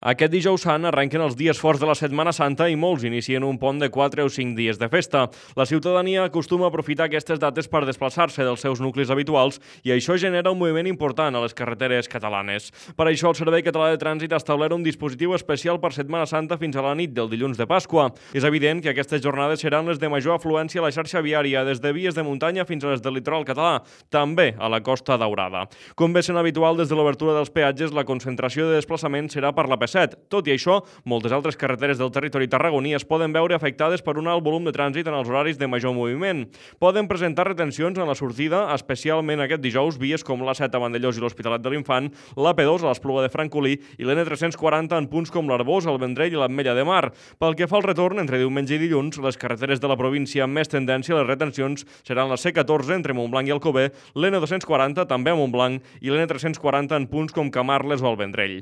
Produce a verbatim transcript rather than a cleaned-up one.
Aquest dijous sant arrenquen els dies forts de la Setmana Santa i molts inicien un pont de quatre o cinc dies de festa. La ciutadania acostuma a aprofitar aquestes dates per desplaçar-se dels seus nuclis habituals i això genera un moviment important a les carreteres catalanes. Per això el Servei Català de Trànsit ha establert un dispositiu especial per Setmana Santa fins a la nit del dilluns de Pasqua. És evident que aquestes jornades seran les de major afluència a la xarxa viària, des de vies de muntanya fins a les del litoral català, també a la Costa Daurada. Com bé sent habitual des de l'obertura dels peatges, la concentració de desplaçament serà per la P set. Tot i això, moltes altres carreteres del territori tarragoní es poden veure afectades per un alt volum de trànsit en els horaris de major moviment. Poden presentar retencions en la sortida, especialment aquest dijous, vies com l'A set a Vandellós i l'Hospitalet de l'Infant, l'A P dos a l'Espluga de Francolí i l'N tres-cents quaranta en punts com l'Arbós, el Vendrell i l'Ametlla de Mar. Pel que fa al retorn, entre diumenge i dilluns, les carreteres de la província amb més tendència a les retencions seran la C catorze entre Montblanc i Alcover, l'N dos-cents quaranta també a Montblanc i l'N tres-cents quaranta en punts com Camarles o el Vendrell.